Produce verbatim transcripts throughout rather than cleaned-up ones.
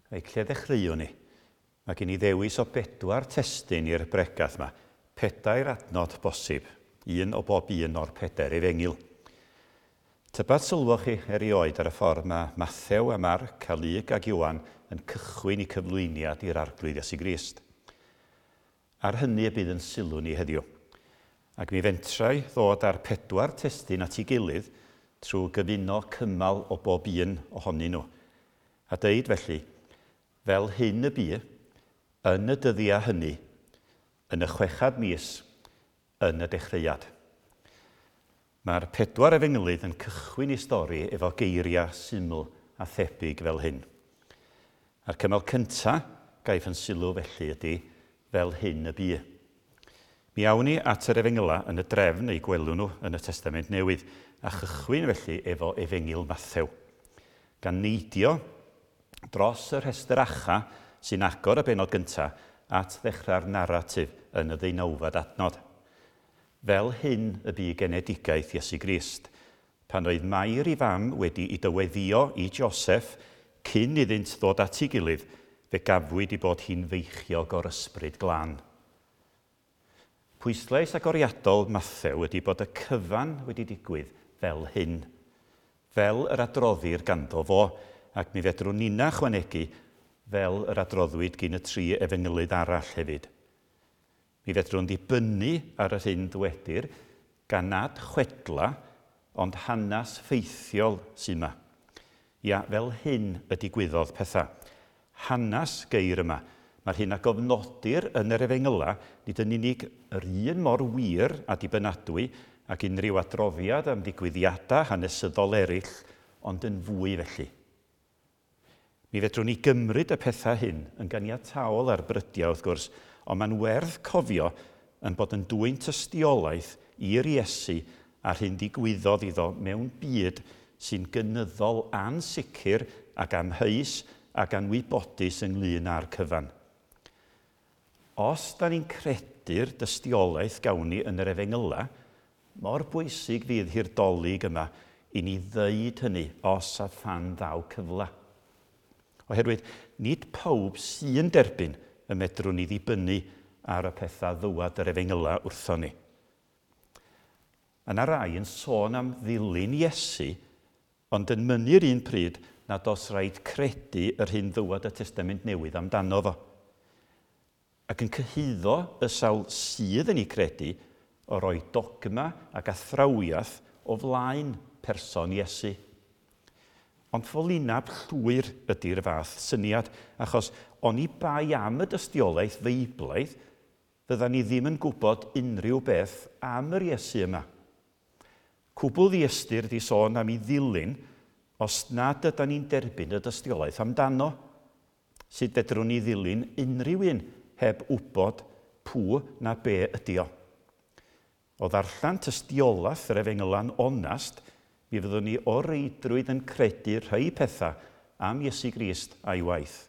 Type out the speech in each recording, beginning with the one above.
Reit, lle ddechreuwn ni? Mae gen i ddewis o bedwar testun i'r bregath yma. Pedair adnod bosib, un o bob un o'r pedair efengyl. Tybad sylwoch chi erioed ar y ffordd mae Mathew a Marc a Luc ac Ioan yn cychwyn eu cyflwyniad i'r Arglwydd Iesu Grist. Ar hynny y bydd yn sylw ni heddiw. Ac mi fentra i ddod â'r pedwar testun at ei gilydd trwy gyfuno cymal o bob un ohonyn nhw. A deud felly, fel hyn y bu, yn y dyddiau hynny, yn y chwechad mis, yn y dechreuad. Mae'r pedwar efengylydd yn cychwyn ei stori efo geiriau syml a thebyg fel hyn. A'r cymal cyntaf gaiff yn sylw felly ydy fel hyn y bu. Mi awn ni at yr efengyla yn y drefn eu gwelwn nhw yn y Testament Newydd, a chychwyn felly efo Efengyl Mathew. Gan neidio dros y rhestr acha sy'n agor y bennod gyntaf at ddechrau'r naratif yn y ddeunawfed adnod. Fel hyn y bu genedigaeth Iesu Grist, pan oedd Mair ei fam wedi ei dyweddio i Joseph cyn iddynt ddod at ei gilydd, fe gafwyd ei bod hi'n feichiog o'r Ysbryd Glân. Pwyslais agoriadol Mathew ydy bod y cyfan wedi digwydd fel hyn, fel yr adroddir ganddo fo, ac mi fedrwn ninna chwanegu fel yr adroddwyd gyn y tri efengylydd arall hefyd. Mi fedrwn ddibynnu ar yr hyn ddwedir gan nad chwedla, ond hanes ffeithiol sy'n yma. Ia, fel hyn y digwyddodd pethau. Hanes geir yma. Mae'r hyn a gofnodir yn yr efengyla nid yn unig yr un mor wir a dibynadwy ac unrhyw adroddiad am ddigwyddiadau hanesyddol eraill, ond yn fwy felly. Mi fedrwn ni gymryd y pethau hyn yn ganiataol ar brydiau, wrth gwrs, ond mae'n werth cofio yn bod yn dwyn tystiolaeth i'r Iesu a'r hyn ddigwyddodd iddo mewn byd sy'n gynyddol ansicr ac amheus ac anwybodus ynglyn â'r cyfan. Os da ni'n credu'r dystiolaeth gawn ni yn yr efengyla, mor bwysig fydd hi'r Dolig yma i ni ddeud hynny os a phan ddaw cyfle. Oherwydd nid pawb sy'n derbyn y medrwn ni ddibynnu ar y pethau ddywad yr efengyla wrthon ni. Yna rai yn sôn am ddilyn Iesu, ond yn mynnu'r un pryd nad oes rhaid credu yr hyn ddywad y Testament Newydd amdano fo. Ac yn cyhuddo y sawl sydd yn ei credu o roi dogma ac athrawiaeth o flaen person Iesu. Ond ffolineb llwyr ydy'r fath syniad, achos oni bai am y dystiolaeth feiblaidd, fydda ni ddim yn gwybod unrhyw beth am yr Iesu yma. Cwbl ddiystyr di sôn am ei ddilyn os nad yda ni'n derbyn y dystiolaeth amdano. Sut fedrwn ni ddilyn unrhyw un heb wybod pw na be ydi o? O ddarllen tystiolaeth yr efengyla'n onast, mi fyddwn ni o reidrwydd yn credu rhai pethau am Iesu Grist a'i waith.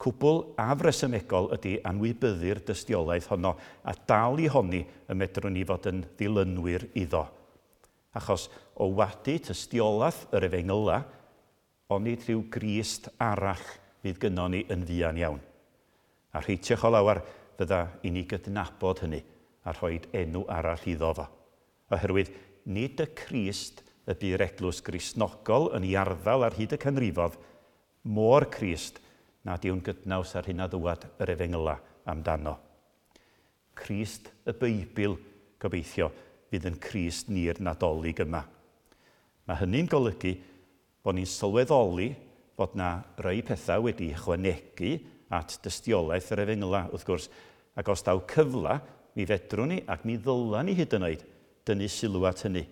Cwbl afresymegol ydy anwybyddu'r dystiolaeth honno a dal i honni y medrwn ni fod yn ddilynwyr iddo. Achos o wadu tystiolaeth yr efengyla, onid rhyw Grist arall fydd gynnon ni yn fuan iawn. A rheitiach o lawer fydda i ni gydnabod hynny a rhoi enw arall iddo fo. Oherwydd nid y Crist y bu'r eglwys Gristnogol yn ei arddel ar hyd y canrifodd, mo'r Crist nad yw'n gydnaws ar hyn a ddywad yr efengyla amdano. Crist y Beibl, gobeithio, fydd yn Crist ni'r Nadolig yma. Mae hynny'n golygu bod ni'n sylweddoli fod na rai pethau wedi ychwanegu at dystiolaeth yr efengyla, wrth gwrs, ac os daw cyfle, mi fedrwn ni ac mi ddyla ni hyd yn oed dynnu sylw at hynny,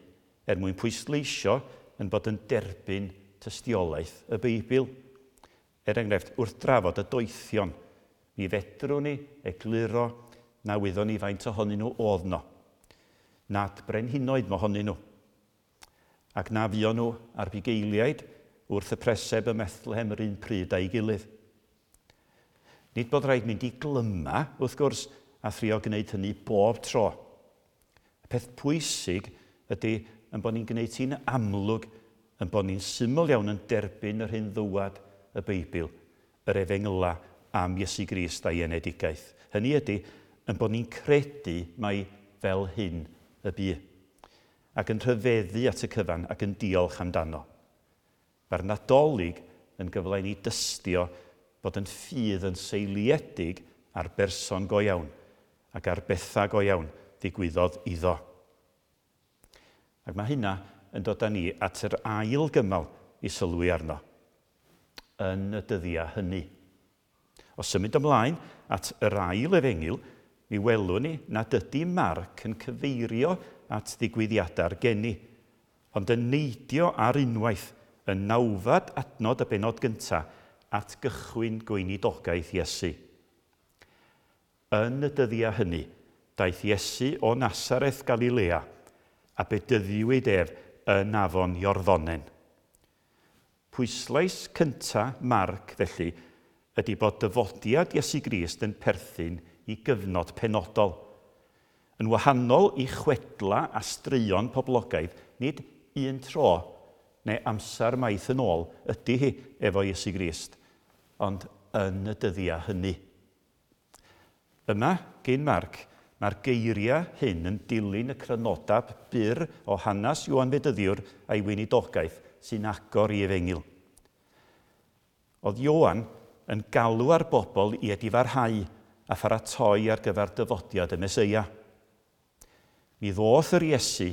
er mwyn pwysleisio yn bod yn derbyn tystiolaeth y Beibl. Er enghraifft, wrth drafod y doethion, mi fedrwn ni egluro na wyddon ni faint ohonyn nhw oedd no. Nad brenhinoedd mohonyn nhw. Ac na fuon nhw a'r bugeiliaid wrth y preseb ym Methlehem yr un pryd a'i gilydd. Nid bod rhaid mynd i glyma, wrth gwrs, a thrio gwneud hynny bob tro. Y peth pwysig ydy yn bod ni'n gwneud hi'n amlwg, yn bod ni'n syml iawn yn derbyn yr hyn ddywad y Beibl, yr efengyla am Iesu Grist a'i enedigaeth. Hynny ydy, yn bod ni'n credu mai fel hyn y bu, ac yn rhyfeddu at y cyfan ac yn diolch amdano. Mae'r Nadolig yn gyfle i ni dystio bod yn ffydd yn seiliedig ar berson go iawn ac ar bethau go iawn ddigwyddodd iddo. Ac mae hynna yn dod â ni at yr ail gymal i sylwi arno, yn y dyddiau hynny. O symud ymlaen at yr ail efengyl, mi welwn ni nad ydy Marc yn cyfeirio at ddigwyddiadau'r geni, ond yn neidio ar unwaith yn nawfed adnod y bennod gyntaf at gychwyn gweinidogaeth Iesu. Yn y dyddiau hynny, daeth Iesu o Nasareth Galilea a bedyddiwyd ef yn afon Iorddonen. Pwyslais cyntaf Marc, felly, ydy bod dyfodiad Iesu Grist yn perthyn i gyfnod penodol. Yn wahanol i chwedla a straeon poblogaidd, nid un tro neu amser maith yn ôl ydy hi efo Iesu Grist, ond yn y dyddiau hynny. Yma, gyn Marc, mae'r geiriau hyn yn dilyn y crynodeb byr o hanes Ioan Fedyddiwr a'i weinidogaeth sy'n agor i efengyl. Oedd Ioan yn galw ar bobl i edifarhau a pharatoi ar gyfer dyfodiad y Meseia. Mi ddoth yr Iesu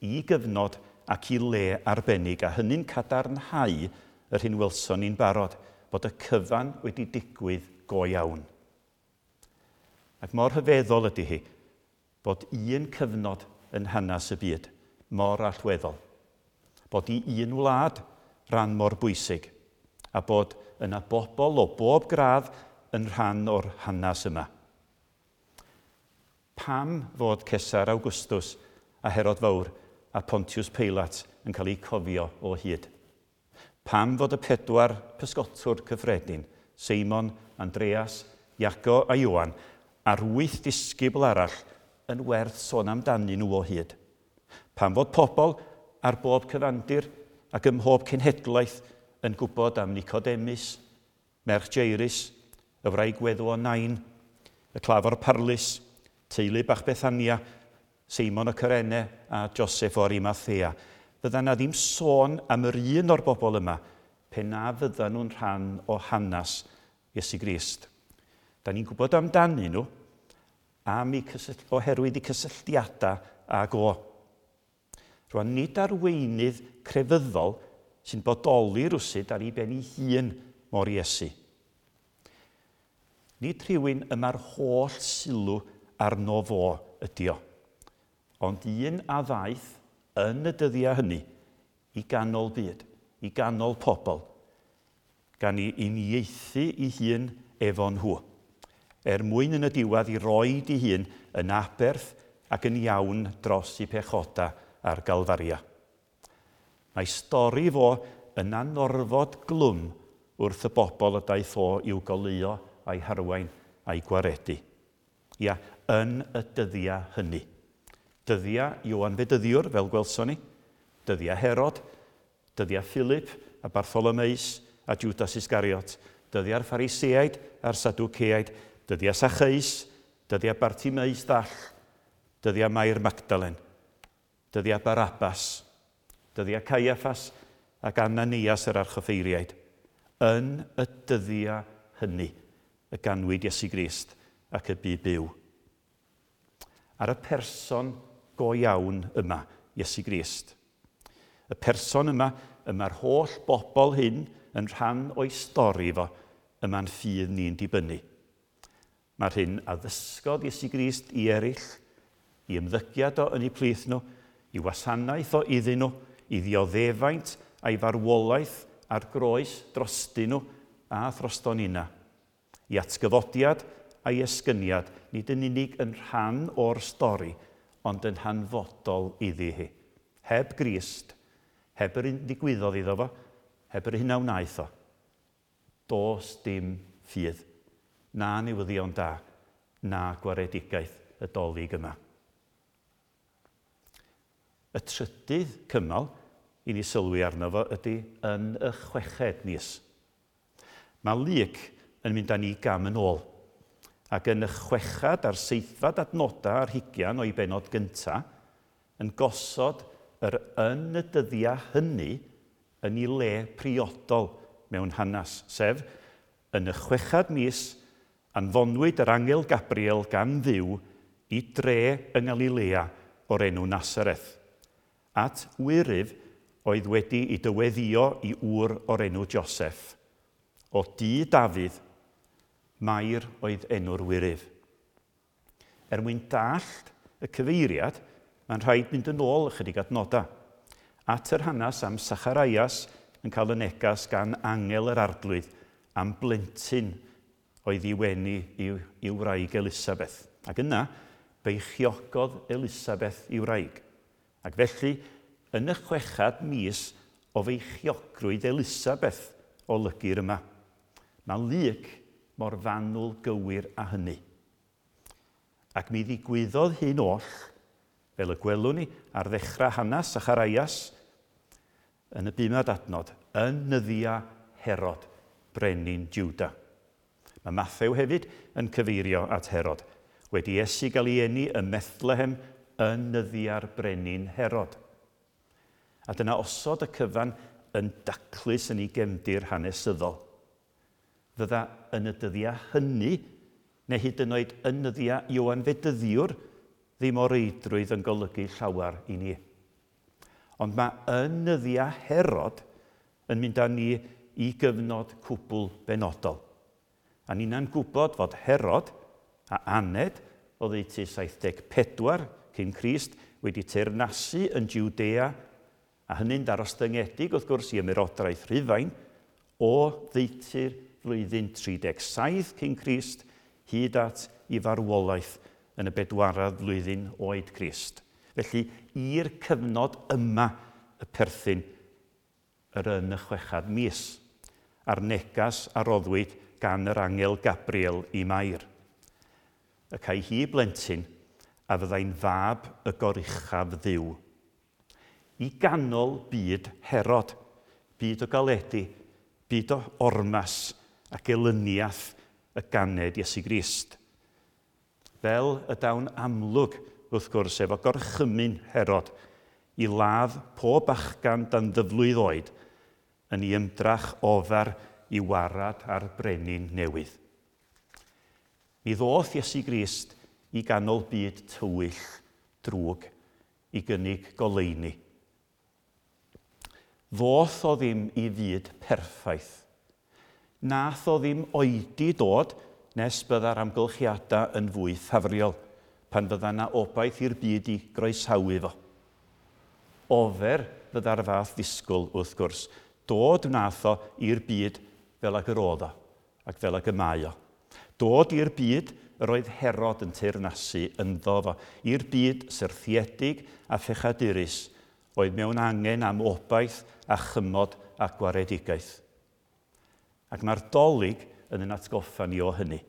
i gyfnod ac i le arbennig, a hynny'n cadarnhau yr hyn welson ni'n barod, bod y cyfan wedi digwydd go iawn. Ac mor rhyfeddol ydy hi bod un cyfnod yn hanes y byd mor allweddol, bod i un wlad ran mor bwysig, a bod yna bobl o bob gradd yn rhan o'r hanes yma. Pam fod Cesar Augustus a Herod Fawr a Pontius Pilate yn cael eu cofio o hyd? Pam fod y pedwar pysgotwr cyffredin, Seimon, Andreas, Iago a Ioan, a'r wyth disgybl arall yn werth sôn amdanyn nhw o hyd? Pam fod pobl ar bob cyfandir ac ym mhob cenhedlaeth yn gwybod am Nicodemus, merch Jairus, y wraig weddw o Nain, y claf o'r parlys, teulu bach Bethania, Seimon o Cyrene a Joseph o Arimathea. Fydda na ddim sôn am yr un o'r bobl yma pe na fydda nhw'n rhan o hanes Iesu Grist. Da ni'n gwybod amdanyn nhw am eu cysyll- oherwydd eu cysylltiadau ag o. Rwan, nid arweinydd crefyddol sy'n bodoli rwsut ar ei ben ei hun mor Iesu. Nid rhywun y mae'r holl sylw arno fo ydi o, ond un a ddaeth yn y dyddiau hynny i ganol byd, i ganol pobl, gan i uniaethu ei hun efo nhw, er mwyn yn y diwedd i roid ei hun yn aberth ac yn iawn dros ei pechoda ar Galfaria. Mae stori fo yn anorfod glwm wrth y bobl y daeth o i'w goleuo a'i harwain a'i gwaredu. Ia, yn y dyddiau hynny. Dyddiau Ioan Fedyddiwr, fel gwelson ni, dyddiau Herod, dyddiau Philip a Bartholomeus a Judas Iscariot, dyddiau'r Phariseaid a'r Sadwceaid, dyddiau Sacheus, dyddiau Bartimeus ddall, dyddiau Mair Magdalen, dyddiau Barabbas, dyddiau Caiaffas ac Ananias yr archoffeiriaid. Yn y dyddiau hynny y ganwyd Iesu Grist ac y bu byw. Ar y person go iawn yma, Iesu Grist. Y person yma, y mae'r holl bobl hyn yn rhan o'i stori fo, y mae'n ffydd ni'n dibynnu. Mae'r hyn a ddysgodd Iesu Grist i eraill, i ymddygiad o yn eu plith nhw, i wasanaeth o iddyn nhw, i ddioddefaint a'i farwolaeth a'r groes drostyn nhw a throston nina. I atgyfodiad a'i esgyniad, nid yn unig yn rhan o'r stori, ond yn hanfodol iddi hi. Heb Grist, heb yr un ddigwyddodd iddo fo, heb yr hyn a wnaeth o, does dim ffydd, na newyddion da, na gwaredigaeth y Dolig yma. Y trydydd cymal i ni sylwi arno fo ydy yn y chweched mis. Mae Luc yn mynd â ni gam yn ôl. Ac yn y chwechad a'r seithfad adnodau ar hugian o'i benod gyntaf, yn gosod yr yn y dyddiau hynny yn ei le priodol mewn hanes, sef yn y chwechad mis anfonwyd yr angel Gabriel gan Dduw i dre yng Ngalilea o'r enw Nasareth, at wyryf oedd wedi ei dyweddio i ŵr o'r enw Joseph. O dŷ Dafydd, Mair oedd enw'r wyryf. Er mwyn dallt y cyfeiriad, mae'n rhaid mynd yn ôl ychydig adnodau. At yr hanes am Sacharias yn cael y negas gan angel yr arglwydd am blentyn oedd i wenu i'w, i'w wraig Elisabeth. Ac yna, beichiogodd Elisabeth i wraig. Ac felly, yn y chwechad mis o feichiogrwydd Elisabeth olygir yma. Mae Luc mor fanwl gywir â hynny. Ac mi ddigwyddodd hyn oll, fel y gwelwn ni ar ddechrau hanes Sacharias, yn y bumed adnod, yn nyddia Herod, brenin Juda. Mae Mathew hefyd yn cyfeirio at Herod, wedi Iesu gael ei eni ym Methlehem yn nyddia'r brenin Herod. A dyna osod y cyfan yn daclus yn ei gefndir hanesyddol. Fydda yn y dyddiau hynny, neu hyd yn oed yn nyddiau Ioan Fedyddiwr, ddim o reidrwydd yn golygu llawer i ni. Ond mae yn nyddiau Herod yn mynd â ni i gyfnod cwbl benodol. A ni'na'n gwybod fod Herod a aned oddeutu saith deg pedwar cyn Crist wedi teyrnasu yn Judea, a hynny'n darostyngedig wrth gwrs i ymerodraeth Rhufain, o ddeutu'r flwyddyn tri deg saith cyn Crist hyd at i farwolaeth yn y bedwaredd flwyddyn oed Crist. Felly, i'r cyfnod yma y perthyn yr yn y chwechad mis, a'r negas a roddwyd gan yr angel Gabriel i Mair. Y cae hi blentyn a fyddai'n fab y goruchaf Dduw. I ganol byd Herod, byd o galedi, byd o ormas ac elyniaeth y ganed Iesu Grist. Fel y dawn amlwg, wrth gwrs, efo gorchymyn Herod i ladd pob bachgan dan ddyflwydd oed yn ei ymdrach ofer i warad ar brenin newydd. Mi ddoth Iesu Grist i ganol byd tywyll drwg i gynnig goleuni. Ddoth o ddim i fyd perffaith. Nath o ddim oedi dod nes bydda'r amgylchiadau yn fwy ffafriol, pan fydda na obaith i'r byd i groesawu fo. Ofer fydda'r fath ddisgwyl, wrth gwrs. Dod wnaeth o i'r byd fel ag yr oedd o, ac fel ag y mae o. Dod i'r byd yr oedd Herod yn teyrnasu ynddo fo, i'r byd syrthiedig a phechadurus, oedd mewn angen am obaith a chymod a gwaredigaeth. Ac mae'r Dolig yn yn atgoffa ni o hynny.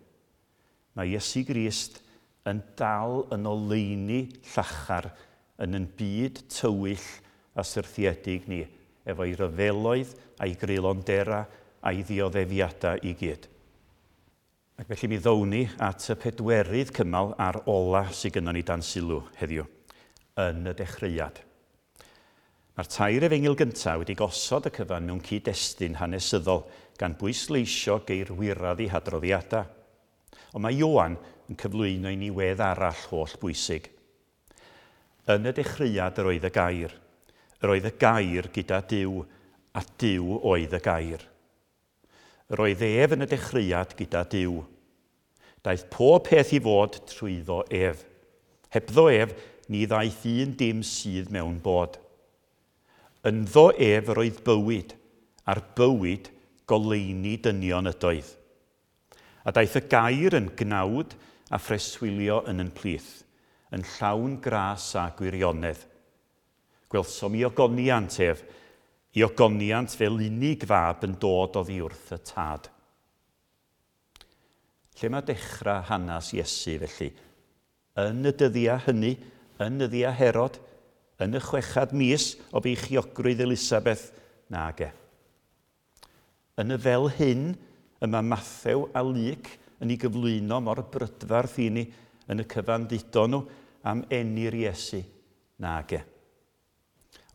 Mae Iesu Grist yn dal yn oleuni llachar yn yn byd tywyll a syrthiedig ni, efo'i ryfeloedd a'i greulondera a'i ddioddefiadau i gyd. Ac felly mi ddown ni at y pedwerydd cymal a'r ola sydd gynnon ni dan sylw heddiw, yn y dechreuad. Mae'r tair efengyl gyntaf wedi gosod y cyfan mewn cyd-destun hanesyddol gan bwysleisio geirwyredd eu hadroddiadau. Ond mae Ioan yn cyflwyno i ni wedd arall holl bwysig. Yn y dechreuad yr oedd y gair. Yr oedd y gair gyda Duw, a Duw oedd y gair. Yr oedd ef yn y dechreuad gyda Duw. Daeth pob peth i fod trwyddo ef. Hebddo ef, ni ddaeth un dim sydd mewn bod. Ynddo ef yr oedd bywyd, a'r bywyd goleuni dynion ydoedd. A daeth y gair yn gnawd a phreswylio yn yn plith, yn llawn gras a gwirionedd. Gwelsom i ogoniant ef, i ogoniant fel unig fab yn dod oddi wrth y tad. Lle mae dechrau hanes Iesu felly? Yn y dyddiau hynny, yn nyddiau Herod, yn y chwechad mis o beichiogrwydd Elisabeth, nage. Yn y fel hyn, y mae Mathew a Luc yn ei gyflwyno mor brydferth i ni yn y cyfan ddudon nhw am eni'r Iesu? Nage.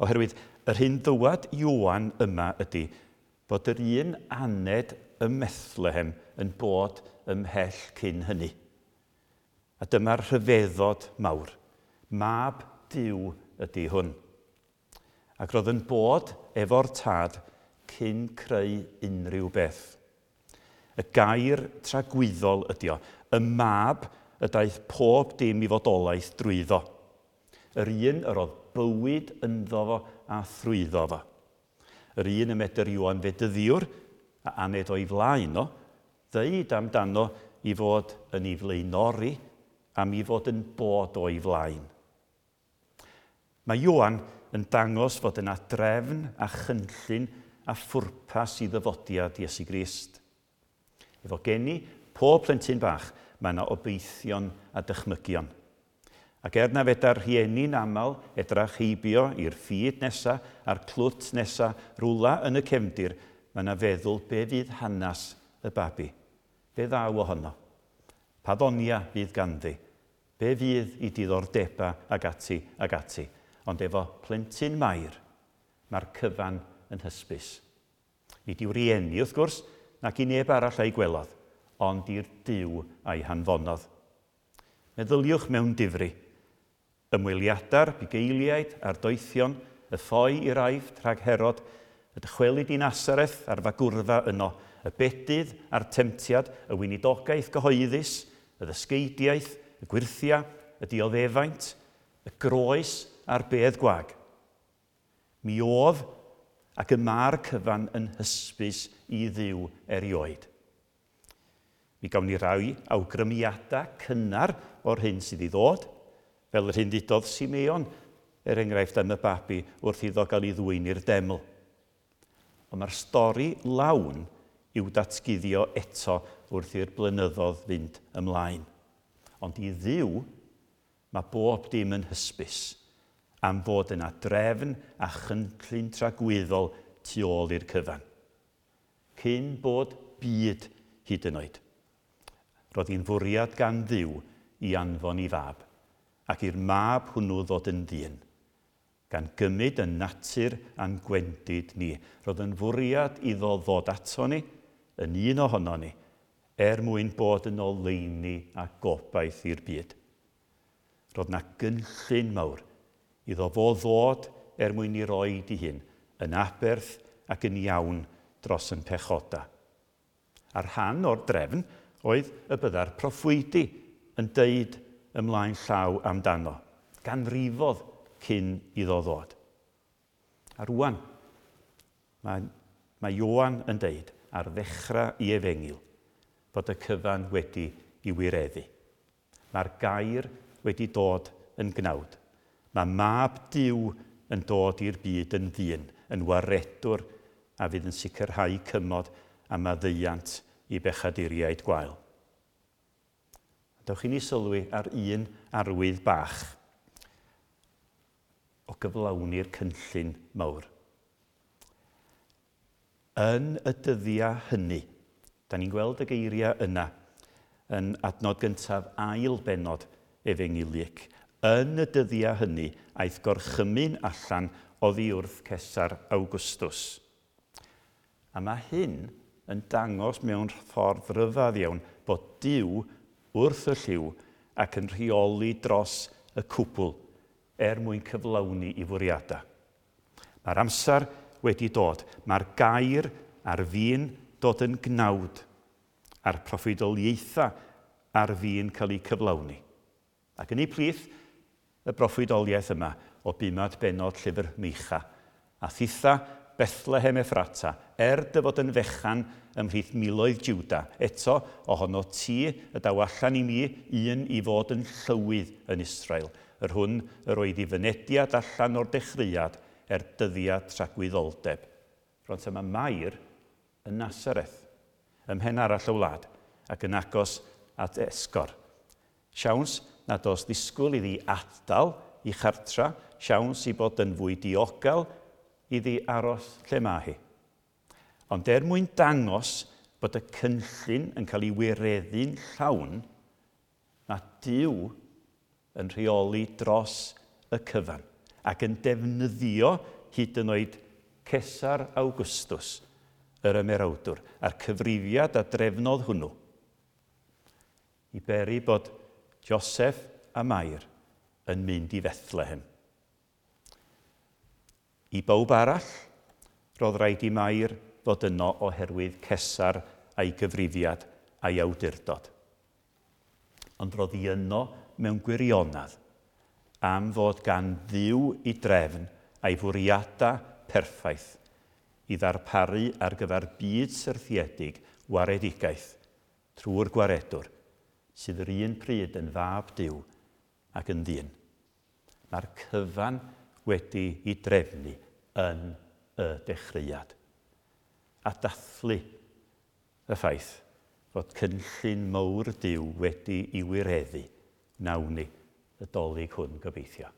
Oherwydd yr hyn ddywad Ioan yma ydy bod yr un aned ym Methlehem yn bod ymhell cyn hynny. A dyma'r rhyfeddod mawr. Mab Duw ydy hwn. Ac roedd yn bod efo'r Tad cyn creu unrhyw beth. Y gair tragwyddol ydy o. Y mab y daeth pob dim i fodolaeth drwyddo. Yr un yr oedd bywyd ynddo fo a thrwyddo fo. Yr un y medr Ioan Fedyddiwr, a aned o'i flaen o, ddeud amdano i fod yn ei flaenori am i fod yn bod o'i flaen. Mae Ioan yn dangos fod yna drefn a chynllun a phwrpas i ddyfodiad Iesu Grist. Efo geni pob plentyn bach, mae yna obeithion a dychmygion. Ac er na fedar rhieni'n aml edrach heibio i'r ffid nesa a'r clwt nesa rwla yn y cefndir, mae yna feddwl be fydd hanes y babi. Be ddaw ohono? Pa ddonia fydd ganddi? Be fydd i diddordeba ag ati ag ati? Ond efo plentyn Mair, mae'r cyfan yn hysbys. Nid i'w rieni, wrth gwrs, nac i neb arall a'i gwelodd, ond i'r Duw a'i hanfonodd. Meddyliwch mewn difri. Ymweliadau'r bugeiliaid a'r doethion, y ffoi i'r Aifft rhag Herod, y dychwelyd i Nasareth a'r fagwrfa yno, y bedydd a'r temtiad, y weinidogaeth gyhoeddus, y ddysgeidiaeth, y gwyrthia, y dioddefaint, y groes a'r bedd gwag. Mi oedd ac y mae'r cyfan yn hysbys i Dduw erioed. Mi gawn ni rai awgrymiadau cynnar o'r hyn sydd i ddod, fel yr hyn ddudodd Simeon, er enghraifft am y babi wrth iddo gael ei ddwyn i'r deml. Ond mae'r stori lawn i'w datguddio eto wrth i'r blynyddoedd fynd ymlaen. Ond i Dduw, mae bob dim yn hysbys am fod yna drefn a chynllun tragwyddol tu ôl i'r cyfan. Cyn bod byd hyd yn oed. Roedd hi'n fwriad gan Dduw i anfon i fab, ac i'r mab hwnnw ddod yn ddyn, gan gymryd yn natur a'n gwendid ni. Roedd yn fwriad iddo ddod ato ni, yn un ohono ni, er mwyn bod yn oleuni a gobaith i'r byd. Roedd na gynllun mawr iddo fo ddod er mwyn i roed i hun, yn aberth ac yn iawn dros yn pechoda. A'r rhan o'r drefn oedd y bydda'r proffwydi yn deud ymlaen llaw amdano, ganrifodd cyn iddo ddod. A rwan, mae, mae Ioan yn deud ar ddechrau i efengyl bod y cyfan wedi i wireddu. Mae'r gair wedi dod yn gnawd. Mae mab Duw yn dod i'r byd yn ddyn, yn waredwr a fydd yn sicrhau cymod a maddeuant i bechaduriaid gwael. Dewch i ni sylwi ar un arwydd bach o gyflawni'r cynllun mawr. Yn y dyddiau hynny, da ni'n gweld y geiriau yna yn adnod gyntaf ail bennod Efengyl Luc. Yn y dyddiau hynny, aeth gorchymyn allan oddi wrth Cesar Augustus. A mae hyn yn dangos mewn ffordd ryfedd iawn bod Duw wrth y llyw ac yn rheoli dros y cwbl er mwyn cyflawni i fwriadau. Mae'r amser wedi dod. Mae'r gair ar fin dod yn gnawd a'r proffwydoliaethau ar fin cael eu cyflawni. Ac yn ei plith, y broffwydoliaeth yma o bumad bennod llyfr Meicha, a thitha Bethlehem Ephrata, er dy fod yn fechan ymhlith miloedd Juda, eto ohono ti y daw allan i mi un i fod yn llywydd yn Israel, yr hwn yr oedd i fynediad allan o'r dechreuad er dyddiad tragwyddoldeb. Rwan yma Mair yn Nasareth, ym mhen arall y wlad, ac yn agos at esgor. Siawns nad oes ddisgwyl iddi adael i chartra, siawns i bod yn fwy diogel iddi aros lle mae hi. Ond er mwyn dangos bod y cynllun yn cael ei wireddu'n llawn, mae Duw yn rheoli dros y cyfan ac yn defnyddio hyd yn oed Cesar Augustus, yr ymerawdwr, a'r cyfrifiad a drefnodd hwnnw i beri bod Joseph a Mair yn mynd i Fethlehem. I bawb arall, roedd rhaid i Mair fod yno oherwydd Cesar a'i gyfrifiad a'i awdurdod. Ond roedd hi yno mewn gwirionedd am fod gan Dduw ei drefn a'i fwriadau perffaith i ddarparu ar gyfer byd syrthiedig waredigaeth trwy'r gwaredwr sydd yr un pryd yn fab Duw ac yn ddyn. Mae'r cyfan wedi ei drefnu yn y dechreuad. A dathlu y ffaith fod cynllun mawr Duw wedi ei wireddu, wnawn ni y Dolig hwn gobeithio.